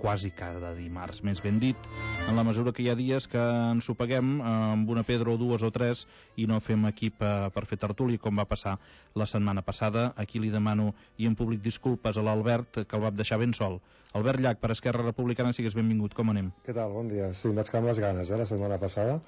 quasi cada dimarts, més ben dit, en la mesura que hi ha dies que ens ho paguem amb una pedra o dues o tres i no fem equip per fer tertúlia, com va passar la setmana passada. Aquí li demano i en públic disculpes a l'Albert, que el va deixar ben sol. Albert Llach, per Esquerra Republicana, sigues benvingut. Com anem? Què tal? Bon dia. Sí, em vaig quedar amb les ganes, la setmana passada.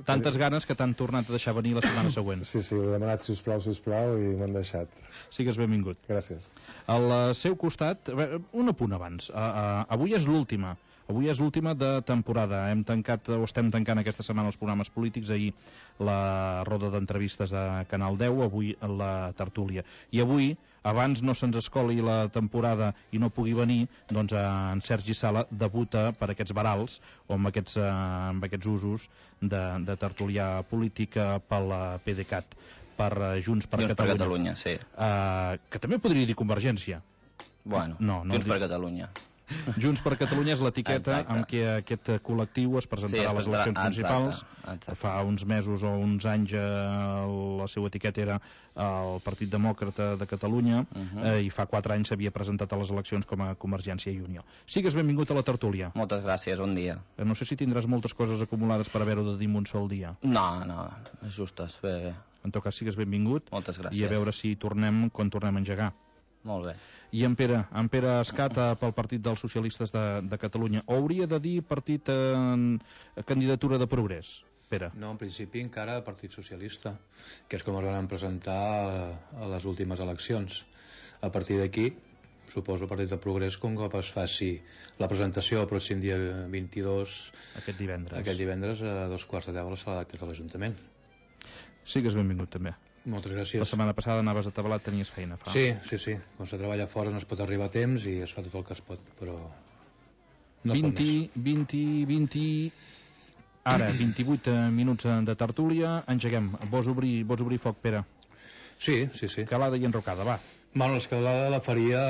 Tantes ganes que t'han tornat a deixar venir la setmana següent. Sí, ho he demanat, sisplau, i m'han deixat. Sigues benvingut. Gràcies. Al seu costat, un apunt abans. Avui és l'última. Avui és l'última de temporada. Estem tancant aquesta setmana els programes polítics. Ahir la roda d'entrevistes de Canal 10, avui la tertúlia. I avui, abans no se'ns escoli la temporada i no pugui venir, doncs en Sergi Sala debuta per aquests barals o amb aquests usos de tertulià política pel PDeCAT, per Junts per Catalunya. Sí. Que també podria dir Convergència. Bueno, no, Junts per Catalunya. Junts per Catalunya és l'etiqueta amb què aquest col·lectiu es presentarà a les eleccions municipals. Exacte. Fa uns mesos o uns anys la seva etiqueta era el Partit Demòcrata de Catalunya, i fa 4 anys s'havia presentat a les eleccions com a Convergència i Unió. Sigues benvingut a la tertúlia. Moltes gràcies, bon dia. No sé si tindràs moltes coses acumulades per haver-ho de dir en un sol dia. No, justes, bé. En tot cas, sigues benvingut. Moltes gràcies. I a veure si tornem quan tornem a engegar. Molt bé. I en Pere Escata pel Partit dels Socialistes de Catalunya. O hauria de dir partit candidatura de progrés, Pere? No, en principi encara Partit Socialista, que és com es van presentar a les últimes eleccions. A partir d'aquí, suposo Partit de Progrés, com que es faci la presentació el pròxim dia 22, aquest divendres a 2:15 a la sala d'actes de l'Ajuntament. Sigues benvingut també. Moltes gràcies. La setmana passada anaves a Tabalat, tenies feina. Sí. Quan se treballa fora no es pot arribar a temps i es fa tot el que es pot, però no es pot més. Ara, 28 minuts de tertúlia. Engeguem. Vols obrir foc, Pere? Sí. Calada i enrocada, va. Bueno, l'escalada la faria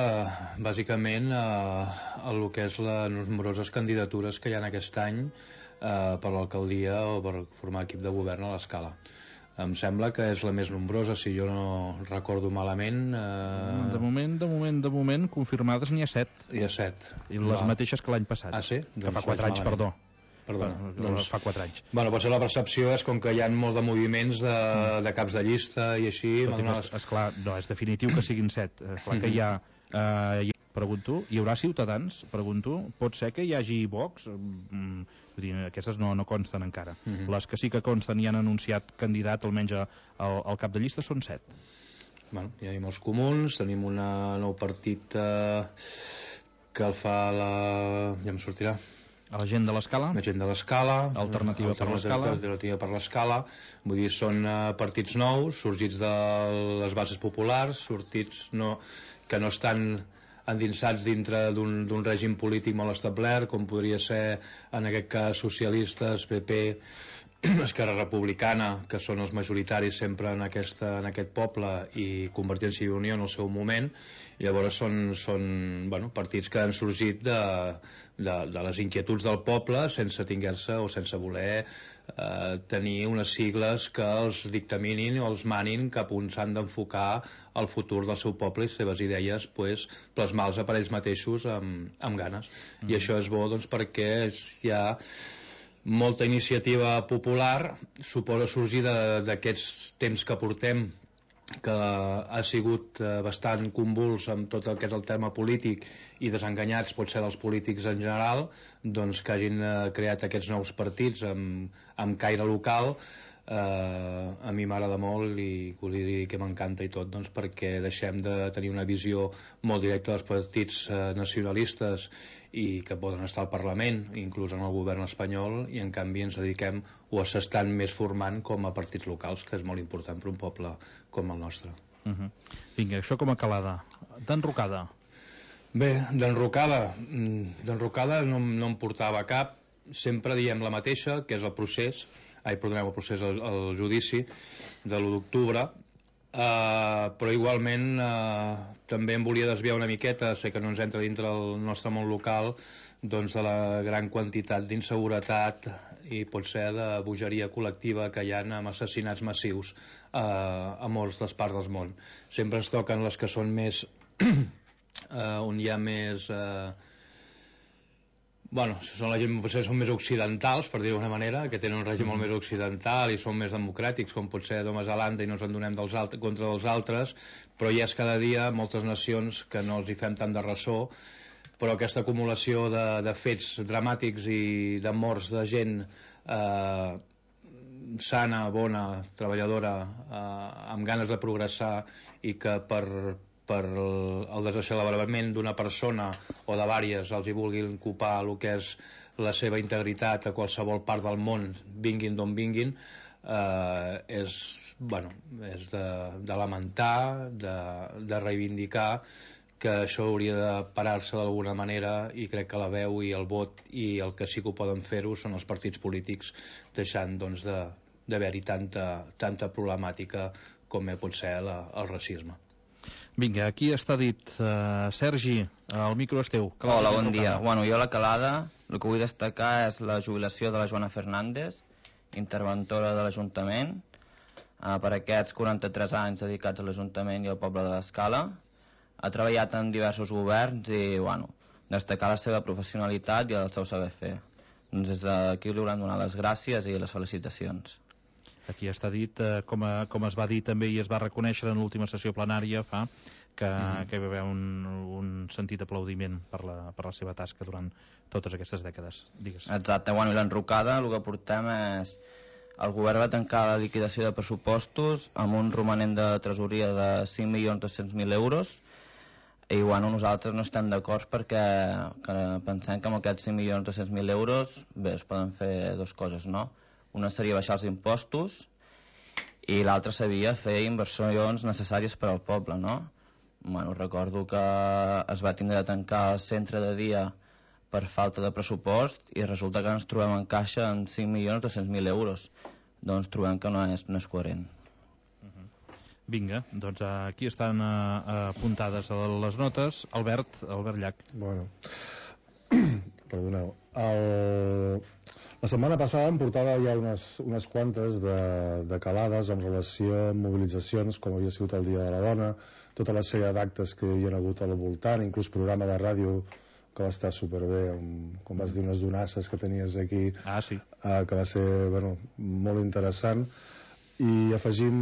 bàsicament a el que és les nombroses candidatures que hi ha aquest any per l'alcaldia o per formar equip de govern a l'Escala. Em sembla que és la més nombrosa, si jo no recordo malament. De moment, confirmades n'hi ha 7. Hi ha 7. I les mateixes que l'any passat. Ah, sí? Que fa 4 anys, perdó. Doncs fa 4 anys. Bueno, potser la percepció és com que hi ha molt de moviments de caps de llista i així. Esclar, no, és definitiu que siguin 7. Clar que hi ha... Pregunto, hi haurà Ciutadans? Pregunto, pot ser que hi hagi Vox? Aquestes no consten encara. Les que sí que consten i han anunciat candidat, almenys al cap de llista, són 7. Bueno, hi ha els comuns, tenim un nou partit que el fa ja em sortirà. A la gent de l'Escala? La gent de l'Escala. Alternativa per l'Escala. Vull dir, són partits nous, sorgits de les bases populars, que no estan endinsats dintre d'un règim polític molt establert, com podria ser en aquest cas socialistes, PP, Esquerra Republicana, que són els majoritaris sempre en aquest poble, i Convergència i Unió en el seu moment. I llavors són partits que han sorgit de les inquietuds del poble sense tinguer-se o sense voler tenir unes sigles que els dictaminin o els manin cap on s'han d'enfocar el futur del seu poble i les seves idees plasmar-les per ells mateixos amb ganes. I això és bo perquè hi ha molta iniciativa popular, suposa sorgir d'aquests temps que portem, que ha sigut bastant convuls amb tot el que és el terme polític i desenganyats potser dels polítics en general, doncs que hagin creat aquests nous partits amb caire local. A mi m'agrada molt i volia dir que m'encanta i tot, doncs perquè deixem de tenir una visió molt directa dels partits nacionalistes i que poden estar al Parlament, inclús en el govern espanyol, i en canvi ens dediquem o s'estan més formant com a partits locals, que és molt important per un poble com el nostre. Vinga, això com a calada. D'enrocada? Bé, d'enrocada no em portava cap. Sempre diem la mateixa, que és el procés, el judici de l'1 d'octubre, però igualment també em volia desviar una miqueta, sé que no ens entra dintre del nostre món local, doncs de la gran quantitat d'inseguretat i potser de bogeria col·lectiva que hi ha amb assassinats massius a moltes les parts del món. Sempre ens toquen les que són més on hi ha més Bueno, són la gent potser són més occidentals, per dir-ho d'una manera, que tenen un règim molt més occidental i són més democràtics, com pot ser Nova Zelanda, i no ens en donem contra dels altres, però ja és cada dia moltes nacions que no els hi fem tant de ressò, però aquesta acumulació de fets dramàtics i de morts de gent sana, bona, treballadora, amb ganes de progressar, i que per el desacelebrament d'una persona o de vàries els hi vulguin ocupar el que és la seva integritat a qualsevol part del món, vinguin d'on vinguin, és de lamentar, de reivindicar, que això hauria de parar-se d'alguna manera, i crec que la veu i el vot i el que sí que ho poden fer-ho són els partits polítics, deixant doncs d'haver-hi tanta problemàtica com pot ser el racisme. Vinga, aquí està dit. Sergi, el micro és teu. Hola, bon dia. Bueno, jo a la calada el que vull destacar és la jubilació de la Joana Fernández, interventora de l'Ajuntament, per aquests 43 anys dedicats a l'Ajuntament i al poble de l'Escala. Ha treballat en diversos governs i, bueno, destacar la seva professionalitat i el seu saber fer. Doncs des d'aquí li hauran donar les gràcies i les felicitacions. Aquí està dit, com es va dir també i es va reconèixer en l'última sessió plenària que hi va haver un sentit aplaudiment per la seva tasca durant totes aquestes dècades. Digues. Exacte, bueno, i l'enrocada, el que portem és... El govern va tancar la liquidació de pressupostos amb un romanent de tresoria de 5.200.000 euros, i bueno, nosaltres no estem d'acord perquè pensem que amb aquests 5.200.000 euros bé, es poden fer dues coses, no? Una seria baixar els impostos i l'altra seria fer inversions necessàries per al poble, no? Bueno, recordo que es va tindre de tancar el centre de dia per falta de pressupost i resulta que ens trobem en caixa amb 5.200.000 euros. Doncs trobem que no és coherent. Vinga, doncs aquí estan apuntades les notes. Albert Llach. Bueno, perdoneu. La setmana passada em portava ja unes quantes de calades en relació amb mobilitzacions, com havia sigut el Dia de la Dona, tota la sèrie d'actes que hi havia hagut al voltant, inclús programa de ràdio que va estar superbé, com vas dir, unes donasses que tenies aquí, sí. Que va ser molt interessant. I afegim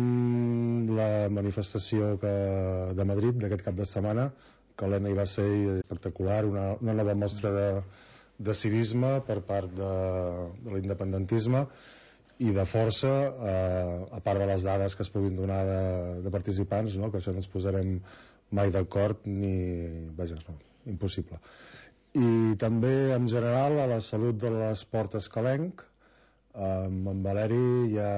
la manifestació de Madrid d'aquest cap de setmana, que l'Ena hi va ser espectacular, una nova mostra de civisme per part de l'independentisme i de força, a part de les dades que es puguin donar de participants, no? Que això no ens posarem mai d'acord impossible. I també en general a la salut de l'esport escalenc, amb en Valeri ja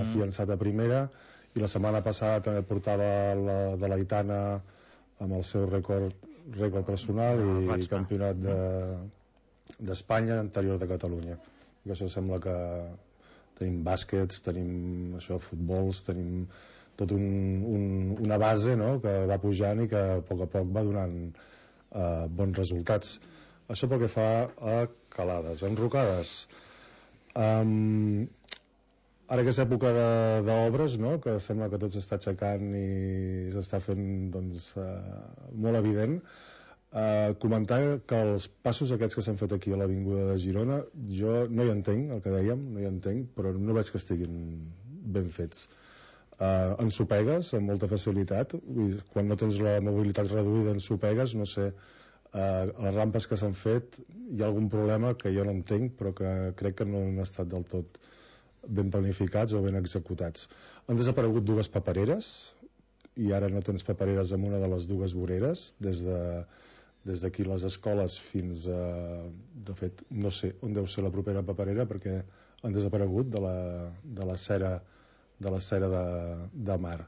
afiançat a primera, i la setmana passada també portava de l'Aitana amb el seu rècord personal i campionat d'Espanya anterior de Catalunya. I això sembla que tenim bàsquets, tenim futbols, tenim tot una base, no?, que va pujant i que a poc va donant bons resultats. Això pel que fa a calades. Enrocades, ara que és època d'obres, no?, que sembla que tot s'està aixecant i s'està fent molt evident, comentar que els passos aquests que s'han fet aquí a l'Avinguda de Girona, jo no hi entenc el que dèiem, no hi entenc, però no veig que estiguin ben fets. Ensopegues amb molta facilitat, quan no tens la mobilitat reduïda ensopegues, no sé, les rampes que s'han fet hi ha algun problema que jo no entenc, però que crec que no han estat del tot ben planificats o ben executats. Han desaparegut dues papereres i ara no tens papereres en una de les dues voreres, des d'aquí les escoles fins a... De fet, no sé on deu ser la propera paperera perquè han desaparegut de la cera de mar.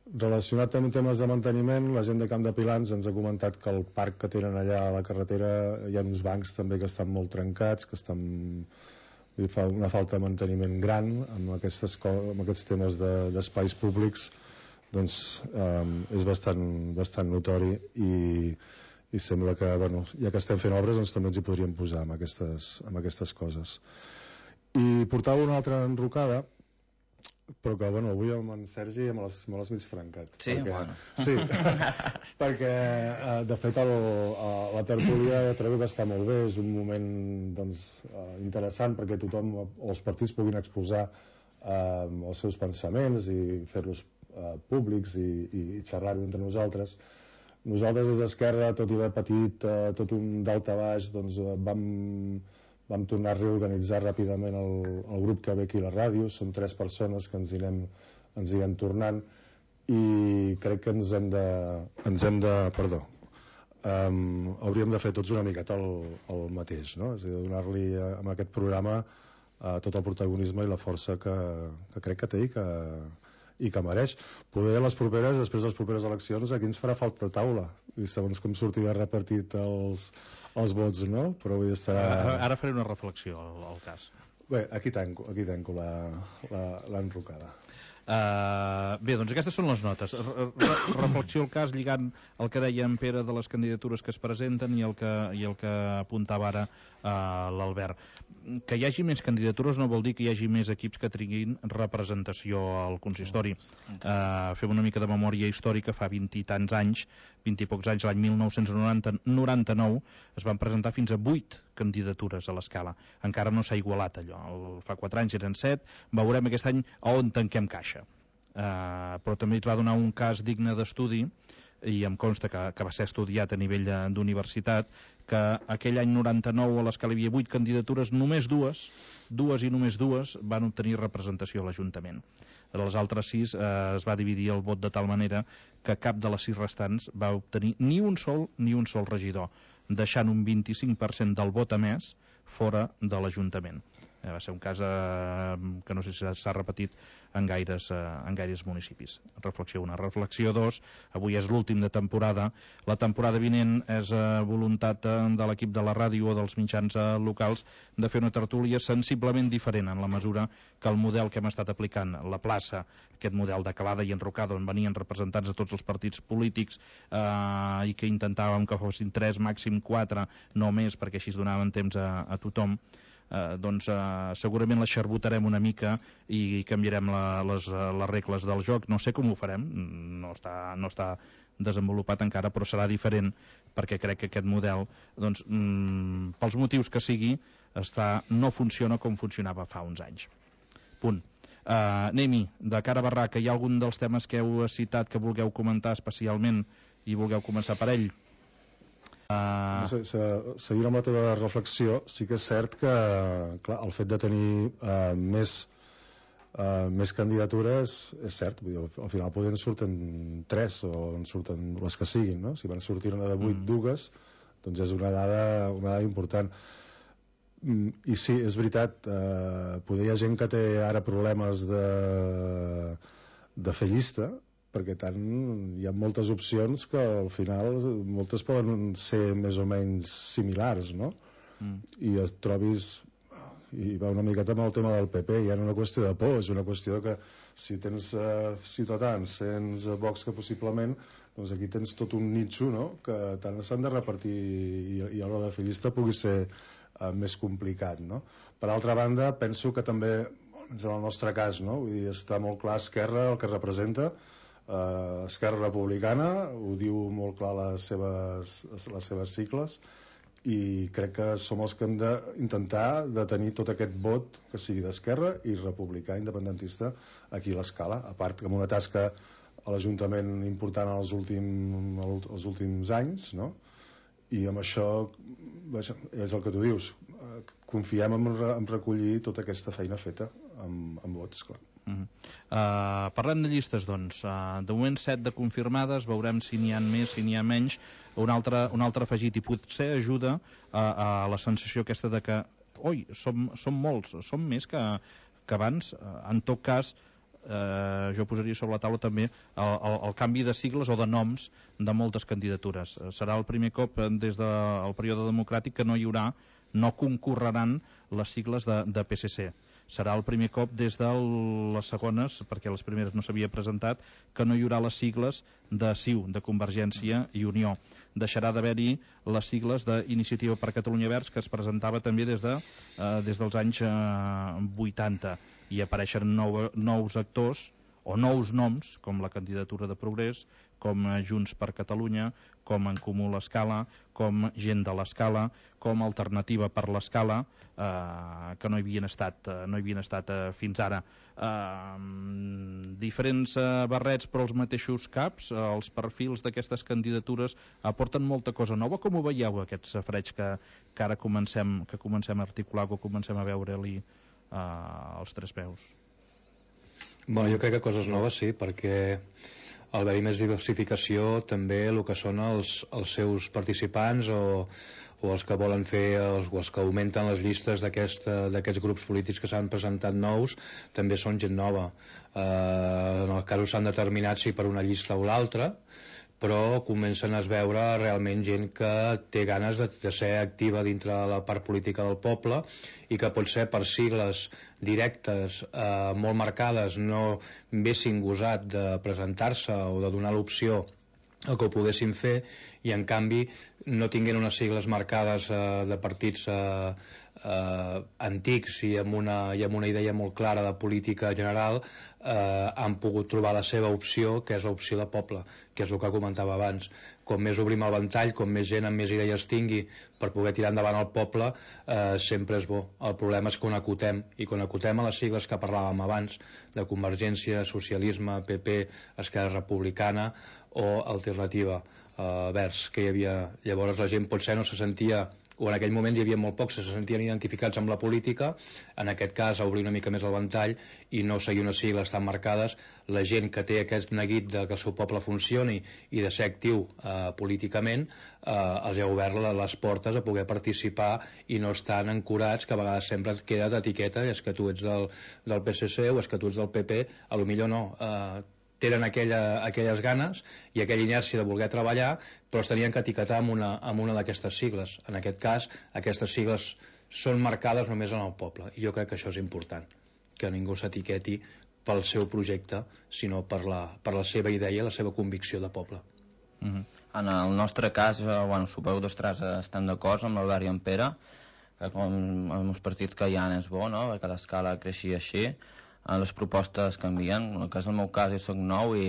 Relacionat amb temes de manteniment, la gent de Camp de Pilans ens ha comentat que el parc que tenen allà a la carretera hi ha uns bancs també que estan molt trencats, que fa una falta de manteniment gran amb aquests temes d'espais públics, doncs és bastant notori i sembla que, ja que estem fent obres, doncs també ens hi podríem posar amb aquestes coses. I portava una altra enrocada però que bueno, avui amb en Sergi me l'has mig trencat. Sí? Perquè, Bueno. sí, perquè de fet la tertúlia trobo que està molt bé, és un moment doncs, interessant perquè tothom o els partits puguin exposar els seus pensaments i fer-los públics i xerrar-ho entre nosaltres. Nosaltres des d'Esquerra, tot i haver patit tot un daltabaix, doncs vam tornar a reorganitzar ràpidament el grup que ve aquí a la ràdio. Som 3 persones que ens hi anem tornant i crec que ens hem de hauríem de fer tots una miqueta el mateix, no? És a dir, donar-li amb aquest programa tot el protagonisme i la força que crec que té i que mereix. Poder després de les properes eleccions, aquí ens farà falta taula, i segons com sortirà repartit els vots, no? Però vull dir, Ara faré una reflexió al cas. Bé, aquí tanco l'enrocada. Bé, doncs aquestes són les notes. Reflexió al cas, lligant el que deia en Pere de les candidatures que es presenten i el que apuntava ara l'Albert. Que hi hagi més candidatures no vol dir que hi hagi més equips que tinguin representació al consistori. Fem una mica de memòria històrica. Fa 20 i tants anys, 20 i pocs anys, l'any 1999 es van presentar fins a 8 candidatures a l'escala. Encara no s'ha igualat allò. Fa 4 anys eren 7. Veurem aquest any on tanquem caixa. Però també es va donar un cas digne d'estudi, i em consta que va ser estudiat a nivell d'universitat, que aquell any 99 a l'escala hi havia 8 candidatures, només dues van obtenir representació a l'Ajuntament. Les altres 6 es va dividir el vot de tal manera que cap de les 6 restants va obtenir ni un sol regidor, deixant un 25% del vot emès fora de l'Ajuntament. Va ser un cas que no sé si s'ha repetit en gaires municipis. Reflexió 1. Reflexió 2. Avui és l'últim de temporada. La temporada vinent és voluntat de l'equip de la ràdio o dels mitjans locals de fer una tertúlia sensiblement diferent, en la mesura que el model que hem estat aplicant, la plaça, aquest model de calada i enrocada on venien representants de tots els partits polítics i que intentàvem que fossin 3, màxim 4, no més, perquè així es donaven temps a tothom, doncs segurament la xarbotarem una mica i canviarem les regles del joc. No sé com ho farem, no està desenvolupat encara, però serà diferent, perquè crec que aquest model, doncs, pels motius que sigui, no funciona com funcionava fa uns anys. Punt. Anem-hi, de cara a Barraca, hi ha algun dels temes que heu citat que vulgueu comentar especialment i vulgueu començar per ell? Seguint amb la teva reflexió, sí que és cert que clar, el fet de tenir més candidatures és cert, vull dir, al final poden surten 3 o en surten les que siguin, no? Si van sortir una de 8 dues, doncs és una dada important. I sí, és veritat, poder hi ha gent que té ara problemes de fer llista, perquè tant hi ha moltes opcions que al final moltes poden ser més o menys similars, no? I et trobis, i va una miqueta amb el tema del PP, ja no és una qüestió de por, és una qüestió que si tens Ciutadans, tens Vox, que possiblement doncs aquí tens tot un nitxo, no? Que tant s'han de repartir i a l'hora de fer llista pugui ser més complicat, no? Per altra banda, penso que també, almenys en el nostre cas, no? Vull dir, està molt clar Esquerra el que representa. Esquerra Republicana ho diu molt clar les seves sigles, i crec que som els que hem d'intentar de tenir tot aquest vot que sigui d'Esquerra i republicà independentista aquí a l'escala, a part que amb una tasca a l'Ajuntament important els últims anys, no? I amb això és el que tu dius, confiem en recollir tota aquesta feina feta amb vots, clar. Parlem de llistes, doncs. De moment 7 de confirmades, veurem si n'hi ha més, si n'hi ha menys. Un altre afegit, i potser ajuda a la sensació aquesta de que som molts, som més que abans. En tot cas, jo posaria sobre la taula també el canvi de sigles o de noms de moltes candidatures. Serà el primer cop des del període democràtic que no concorreran les sigles de PSC, serà el primer cop des de les segones, perquè les primeres no s'havia presentat, que no hi haurà les sigles de CiU, de Convergència i Unió. Deixarà d'haver-hi les sigles d'Iniciativa per Catalunya Verds, que es presentava també des dels anys 80, i apareixen nous actors o nous noms, com la candidatura de Progrés, com Junts per Catalunya, com En Comú l'Escala, com Gent de l'Escala, com Alternativa per l'Escala, que no hi havien estat fins ara. Diferents barrets però els mateixos caps. Els perfils d'aquestes candidatures aporten molta cosa nova. Com ho veieu, aquest safareig que ara comencem a articular, que comencem a veure-li els tres peus? Bueno, jo crec que coses noves sí, perquè al haver-hi més diversificació també el que són els seus participants o els que volen fer o els que augmenten les llistes d'aquests grups polítics que s'han presentat nous també són gent nova. En el cas s'han determinat si per una llista o l'altra, però comencen a veure realment gent que té ganes de ser activa dintre de la part política del poble i que pot ser per sigles directes molt marcades no haguessin gosat de presentar-se o de donar l'opció el que ho poguessin fer, i en canvi no tinguin unes sigles marcades de partits antics i amb una idea molt clara de política general, han pogut trobar la seva opció, que és l'opció de poble, que és el que comentava abans. Com més obrim el ventall, com més gent amb més idees tingui per poder tirar endavant el poble, sempre és bo. El problema és que ho acotem, i quan acotem a les sigles que parlàvem abans, de Convergència, Socialisme, PP, Esquerra Republicana o Alternativa Verds, que hi havia. Llavors la gent potser no se sentia, o en aquell moment hi havia molt pocs, se sentien identificats amb la política. En aquest cas, a obrir una mica més el ventall i no seguir unes sigles tan marcades, la gent que té aquest neguit de que el seu poble funcioni i de ser actiu políticament, els ha obert les portes a poder participar i no estan ancorats, que a vegades sempre et queda d'etiqueta, és que tu ets del PSC o és que tu ets del PP. A lo millor no, tenen aquelles ganes i aquella inèrcia de voler treballar, però es tenien que etiquetar amb una d'aquestes sigles. En aquest cas, aquestes sigles són marcades només en el poble, i jo crec que això és important, que ningú s'etiqueti pel seu projecte, sinó per la seva idea i la seva convicció de poble. En el nostre cas, suposo que tots tres estem d'acord amb l'Albert i en Pere, que com amb els partits que hi ha és bo, no?, perquè l'escala creixi així. Les propostes canvien. En el cas del meu cas, jo soc nou i,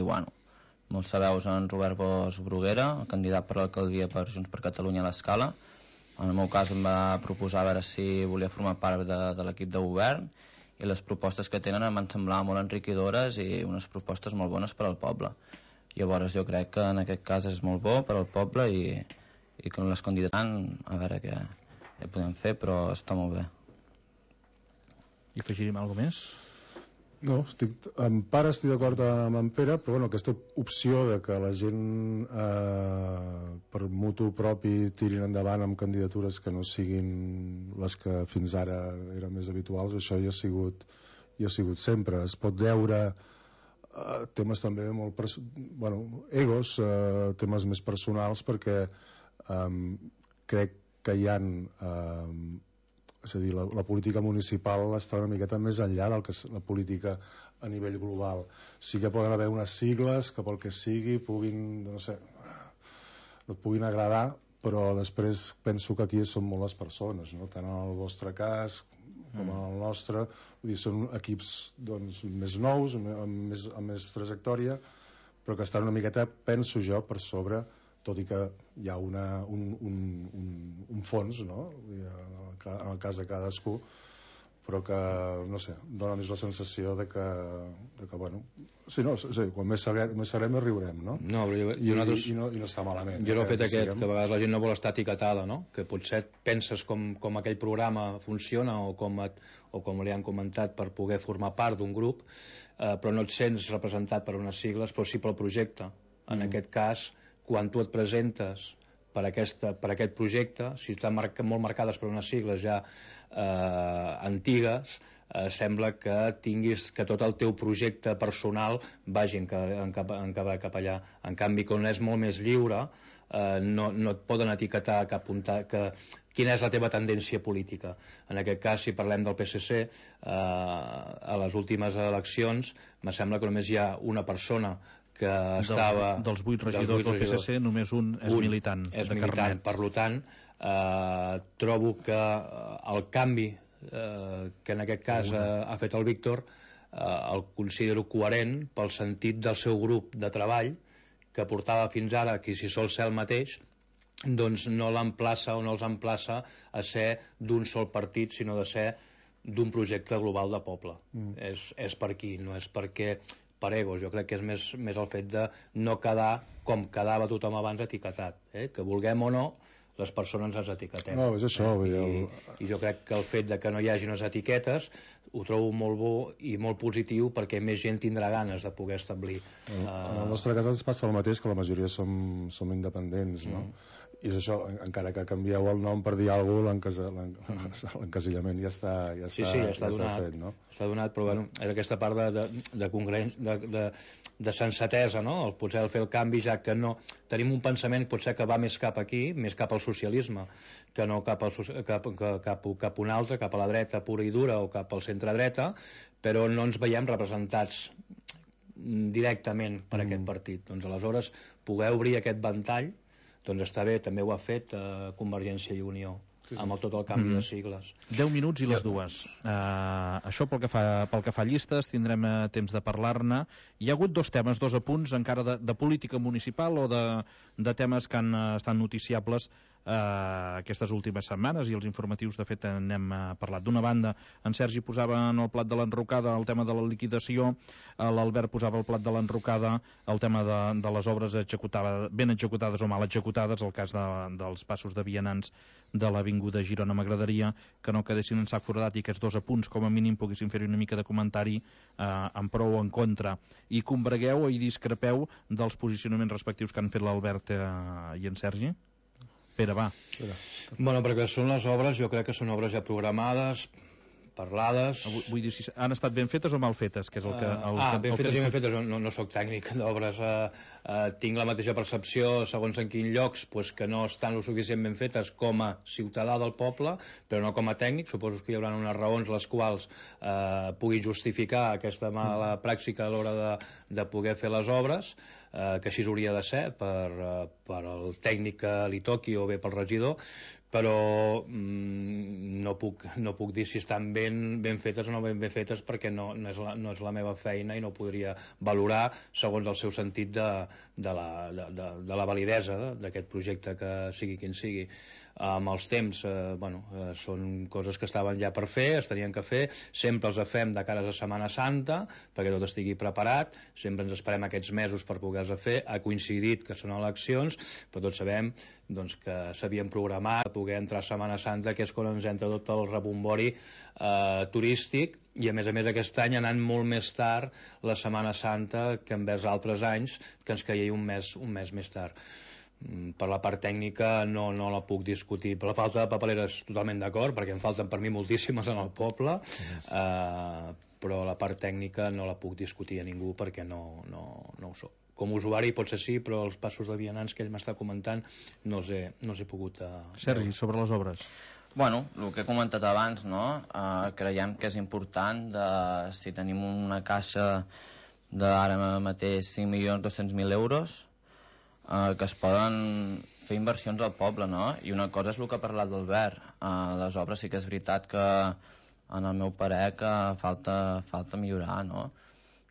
molts sabeu, en Robert Bosch Bruguera, candidat per l'alcaldia per Junts per Catalunya a l'Escala. En el meu cas em va proposar a veure si volia formar part de l'equip de govern, i les propostes que tenen em van semblar molt enriquidores i unes propostes molt bones per al poble. Llavors jo crec que en aquest cas és molt bo per al poble i que les candidatant a veure què podem fer, però està molt bé. I afegiríem alguna més? No, en part estic d'acord amb en Pere, però aquesta opció de que la gent per mutu propi tirin endavant amb candidatures que no siguin les que fins ara eren més habituals, això hi ha sigut sempre. Es pot veure temes també molt egos, temes més personals, perquè crec que hi han és a dir, la política municipal està una miqueta més enllà del que és la política a nivell global. Sí que poden haver unes sigles que pel que sigui no et puguin agradar, però després penso que aquí són molt les persones, no? Tant en el vostre cas com en el nostre. Vull dir, són equips més nous, amb més trajectòria, però que estan una miqueta, penso jo, per sobre, tot i que hi ha un fons, no?, en el cas de cadascú, però que, no sé, dona més la sensació de que quan més serem més riurem, no? No, però I no està malament. Jo l'he fet aquest, que a vegades la gent no vol estar etiquetada, no?, que potser penses com aquell programa funciona o com li han comentat per poder formar part d'un grup, però no et sents representat per unes sigles, però sí pel projecte. En aquest cas, quan tu et presentes per aquest projecte, si estan molt marcades per unes sigles ja antigues, sembla que tinguis que tot el teu projecte personal vagi cap allà. En canvi, quan és molt més lliure, no et poden etiquetar quina és la teva tendència política. En aquest cas, si parlem del PSC, a les últimes eleccions me sembla que només hi ha una persona que estava... Dels 8 regidors del PSC, només un és militant. És militant, per tant, trobo que el canvi que en aquest cas ha fet el Víctor el considero coherent pel sentit del seu grup de treball, que portava fins ara, que si sol ser el mateix, doncs no l'emplaça o no els emplaça a ser d'un sol partit, sinó de ser d'un projecte global de poble. És per aquí, no és perquè per egos. Jo crec que és més el fet de no quedar com quedava tothom abans etiquetat, que vulguem o no les persones ens etiquetem. No, és això. I jo crec que el fet de que no hi hagi unes etiquetes ho trobo molt bo i molt positiu, perquè més gent tindrà ganes de poder establir. En el nostre cas ens passa el mateix, que la majoria som independents, no? I és això, encara que canvieu el nom per dir alguna cosa, l'encasillament ja està fet, no? Està donat, però bueno, és aquesta part de sensatesa, no? Potser fer el canvi, ja que no tenim un pensament potser que va més cap aquí, més cap al socialisme, que no cap un altre, cap a la dreta pura i dura o cap al centre-dreta, però no ens veiem representats directament per aquest partit. Doncs aleshores poder obrir aquest ventall, doncs està bé. També ho ha fet Convergència i Unió, amb tot el canvi de sigles. 10 minuts i les dues. Això pel que fa a llistes, tindrem temps de parlar-ne. Hi ha hagut dos temes, dos apunts encara de política municipal o de temes que han estat noticiables aquestes últimes setmanes, i els informatius de fet n'hem parlat. D'una banda, en Sergi posava en el plat de l'enrocada el tema de la liquidació, l'Albert posava el plat de l'enrocada el tema de les obres ben executades o mal executades. El cas dels passos de vianants de l'Avinguda Girona, m'agradaria que no quedessin en sac foradat i aquests dos apunts com a mínim poguessin fer una mica de comentari en pro o en contra, i combregueu i discrepeu dels posicionaments respectius que han fet l'Albert i en Sergi. Pere, va. Bueno, perquè són les obres, jo crec que són obres ja programades, parlades... Vull dir, si han estat ben fetes o mal fetes? Que és el que, ben fetes i ben fetes. No soc tècnic d'obres. Tinc la mateixa percepció, segons en quin llocs, que no estan lo suficient ben fetes com a ciutadà del poble, però no com a tècnic. Suposo que hi haurà unes raons les quals puguin justificar aquesta mala pràctica a l'hora de poder fer les obres, que així hauria de ser per el tècnic que li toqui o bé pel regidor, però no puc dir si estan ben fetes o no ben fetes, perquè no és la meva feina i no podria valorar segons el seu sentit de la validesa d'aquest projecte, que sigui quin sigui. Amb els temps, són coses que estaven ja per fer, es tenien que fer, sempre els fem de cara a Setmana Santa perquè tot estigui preparat, sempre ens esperem aquests mesos per poder-los fer. Ha coincidit que són eleccions, però tots sabem que s'havien programat a poder entrar a Setmana Santa, que és quan ens entra tot el rebombori turístic, i a més aquest any anant molt més tard la Setmana Santa que envers altres anys, que ens caia un mes més tard. Per la part tècnica no la puc discutir. Per la falta de papereres totalment d'acord, perquè en falten per mi moltíssimes en el poble, però la part tècnica no la puc discutir a ningú perquè no ho soc. Com a usuari potser sí, però els passos de vianants que ell m'està comentant no els he pogut... Sergi, sobre les obres. Bueno, el que he comentat abans, no? Creiem que és important si tenim una caixa d'ara mateix 5.200.000 euros, que es poden fer inversions al poble, no? I una cosa és el que ha parlat l'Albert. Les obres sí que és veritat que, en el meu parer, que falta millorar, no?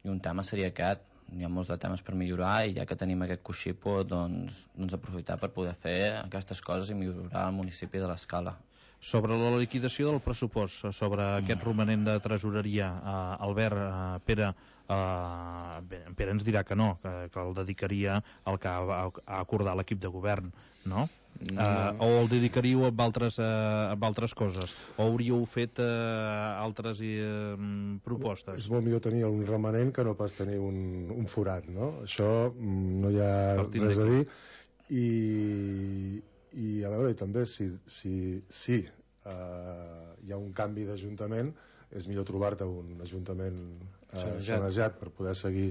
I un tema seria aquest. Hi ha molts de temes per millorar, i ja que tenim aquest coixí, doncs aprofitar per poder fer aquestes coses i millorar el municipi de l'Escala. Sobre la liquidació del pressupost, sobre aquest romanent de tresoreria, Albert, Pere ens dirà que no, que el dedicaria al que ha acordat l'equip de govern, no? O el dedicaríeu a altres coses, o hauríeu fet altres propostes? És molt millor tenir un remanent que no pas tenir un forat, no? Això no hi ha res a dir. I a veure, també si hi ha un canvi d'ajuntament, és millor trobar-te un ajuntament sanejat per poder seguir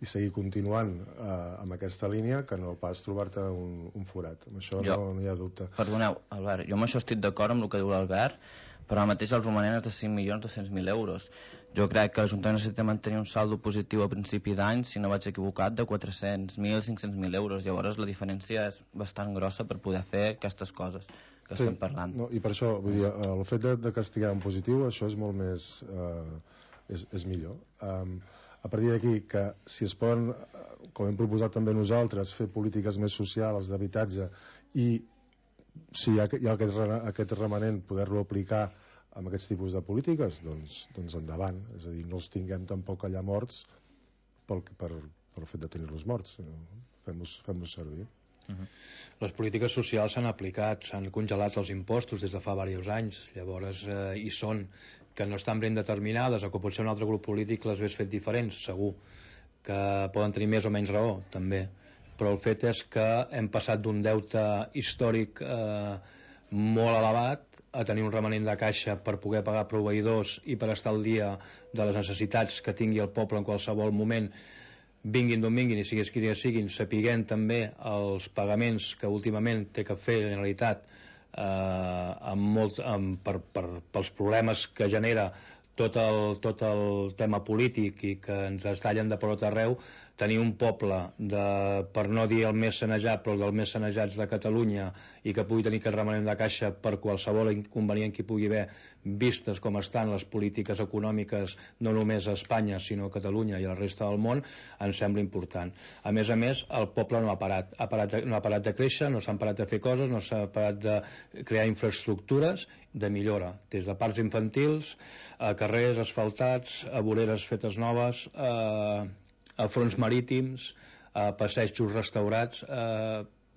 i seguir continuant amb aquesta línia que no pas trobar-te un forat. Amb això no hi ha dubte. Perdoneu, Albert, jo amb això estic d'acord amb el que diu l'Albert, però ara mateix el romanent és de 5.200.000 euros. Jo crec que l'Ajuntament necessita mantenir un saldo positiu a principi d'any, si no vaig equivocat, de 400.000, 500.000 euros. Llavors la diferència és bastant grossa per poder fer aquestes coses que estem parlant. No, i per això, vull dir, el fet de castigar en positiu, això és molt més... és millor. A partir d'aquí, que si es poden, com hem proposat també nosaltres, fer polítiques més socials d'habitatge i si hi ha aquest remanent poder-lo aplicar amb aquests tipus de polítiques, doncs endavant. És a dir, no els tinguem tampoc allà morts pel fet de tenir-los morts. Fem-los servir. Les polítiques socials s'han aplicat, s'han congelat els impostos des de fa diversos anys, llavors hi són, que no estan ben determinades, o que potser un altre grup polític les hagués fet diferents, segur, que poden tenir més o menys raó, també, però el fet és que hem passat d'un deute històric molt elevat a tenir un remanent de caixa per poder pagar proveïdors i per estar al dia de les necessitats que tingui el poble en qualsevol moment, vinguin d'on vinguin i siguin qui siguin, sapiguent també els pagaments que últimament té que fer la Generalitat pels problemes que genera tot el tema polític i que ens es tallen de per tot arreu. Tenir un poble, per no dir el més sanejat, però dels més sanejats de Catalunya, i que pugui tenir aquest remanent de caixa per qualsevol inconvenient que hi pugui haver, vistes com estan les polítiques econòmiques no només a Espanya sinó a Catalunya i a la resta del món, ens sembla important. A més, el poble no ha parat de créixer, no s'han parat de fer coses, no s'ha parat de crear infraestructures de millora, des de parcs infantils a carrers asfaltats, a voreres fetes noves, a fronts marítims, a passejos restaurats.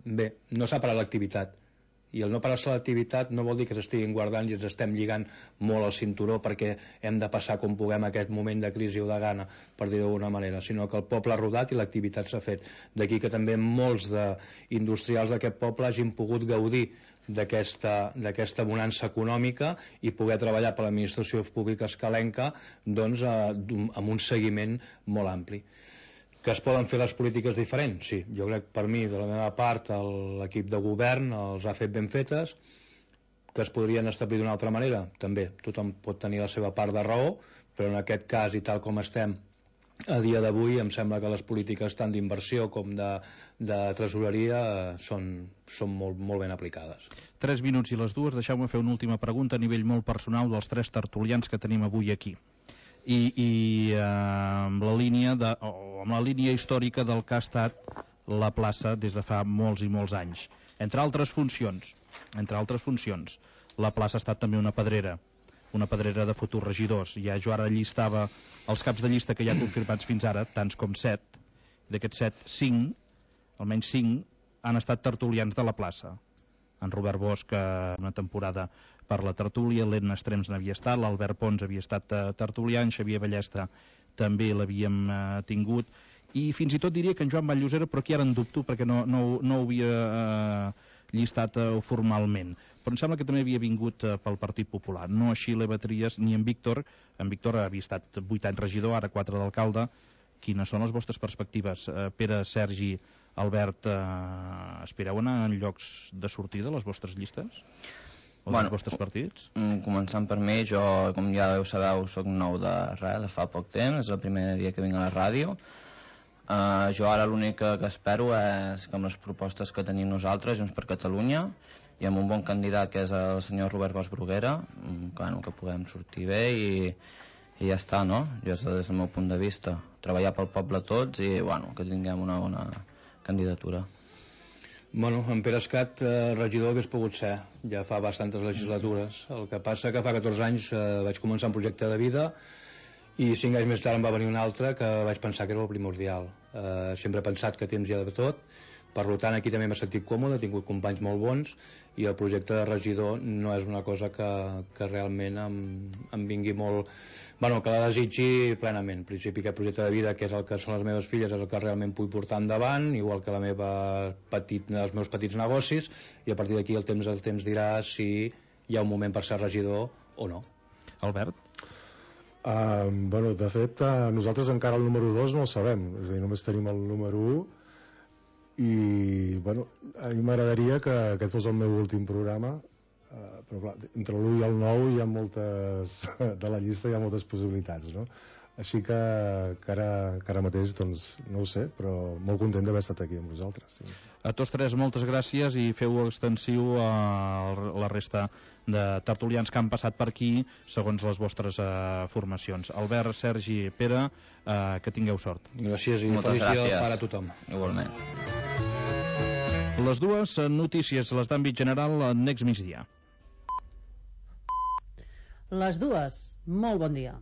Bé, no s'ha parat l'activitat, i el no parar-se l'activitat no vol dir que s'estiguin guardant i ens estem lligant molt al cinturó perquè hem de passar com puguem aquest moment de crisi o de gana, per dir d'alguna manera, sinó que el poble ha rodat i l'activitat s'ha fet. D'aquí que també molts industrials d'aquest poble hagin pogut gaudir d'aquesta bonança econòmica i poder treballar per l'administració pública escalenca, doncs, amb un seguiment molt ampli. Que es poden fer les polítiques diferents? Sí, jo crec, per mi, de la meva part, l'equip de govern els ha fet ben fetes. Que es podrien establir d'una altra manera? També, tothom pot tenir la seva part de raó, però en aquest cas, i tal com estem a dia d'avui, em sembla que les polítiques tant d'inversió com de tresoreria són molt, molt ben aplicades. 3 minuts i les 2, deixeu-me fer una última pregunta a nivell molt personal dels 3 tertulians que tenim avui aquí. I amb la línia històrica del que ha estat la plaça des de fa molts i molts anys. Entre altres funcions, la plaça ha estat també una pedrera de futurs regidors. Jo ara llistava els caps de llista que hi ha confirmats fins ara, tants com 7. D'aquests 7, almenys 5, han estat tertulians de la plaça. En Robert Bosch, una temporada per la tertúlia, l'Edna Estrems n'havia estat, l'Albert Pons havia estat tertulià, en Xavier Ballestra també l'havíem tingut, i fins i tot diria que en Joan Vall-llosera, però aquí ara en dubto perquè no ho havia llistat formalment, però em sembla que també havia vingut pel Partit Popular, no així l'Eva Trias ni en Víctor. En Víctor havia estat 8 anys regidor, ara 4 d'alcalde. Quines són les vostres perspectives? Pere, Sergi, Albert, aspireu a anar en llocs de sortida a les vostres llistes? O dels vostres partits? Començant per mi, jo, com ja sabeu, soc nou de fa poc temps, és el primer dia que vinc a la ràdio. Jo ara l'únic que espero és que amb les propostes que tenim nosaltres, Junts per Catalunya, i amb un bon candidat que és el senyor Robert Bosch Bruguera, que puguem sortir bé i ja està, no? Jo és des del meu punt de vista, treballar pel poble tots i que tinguem una bona candidatura. En Pere Escat, regidor hauria pogut ser, ja fa bastantes legislatures. El que passa que fa 14 anys vaig començar un projecte de vida i 5 anys més tard em va venir un altre que vaig pensar que era el primordial. Sempre he pensat que temps hi ha de tot, per tant aquí també m'he sentit còmode, he tingut companys molt bons i el projecte de regidor no és una cosa que realment em vingui molt... que la desitgi plenament. En principi aquest projecte de vida, que és el que són les meves filles, és el que realment vull portar endavant, igual que els meus petits negocis, i a partir d'aquí el temps dirà si hi ha un moment per ser regidor o no. Albert? Bueno, de fet, nosaltres encara el número 2 no el sabem, és a dir, només tenim el número 1 i, bueno, a mi m'agradaria que aquest fos el meu últim programa, però clar, entre l'1 i el 9 hi ha moltes, de la llista hi ha moltes possibilitats, no? Així que ara mateix doncs, no ho sé, però molt content d'haver estat aquí amb vosaltres. Sí. A tots tres moltes gràcies i feu extensiu a la resta de tertulians que han passat per aquí segons les vostres formacions. Albert, Sergi, Pere, que tingueu sort. Gràcies i Moltes feliç dia gràcies. per a tothom. Igualment. Les dues notícies, les d'àmbit general, next migdia. Les dues, molt bon dia.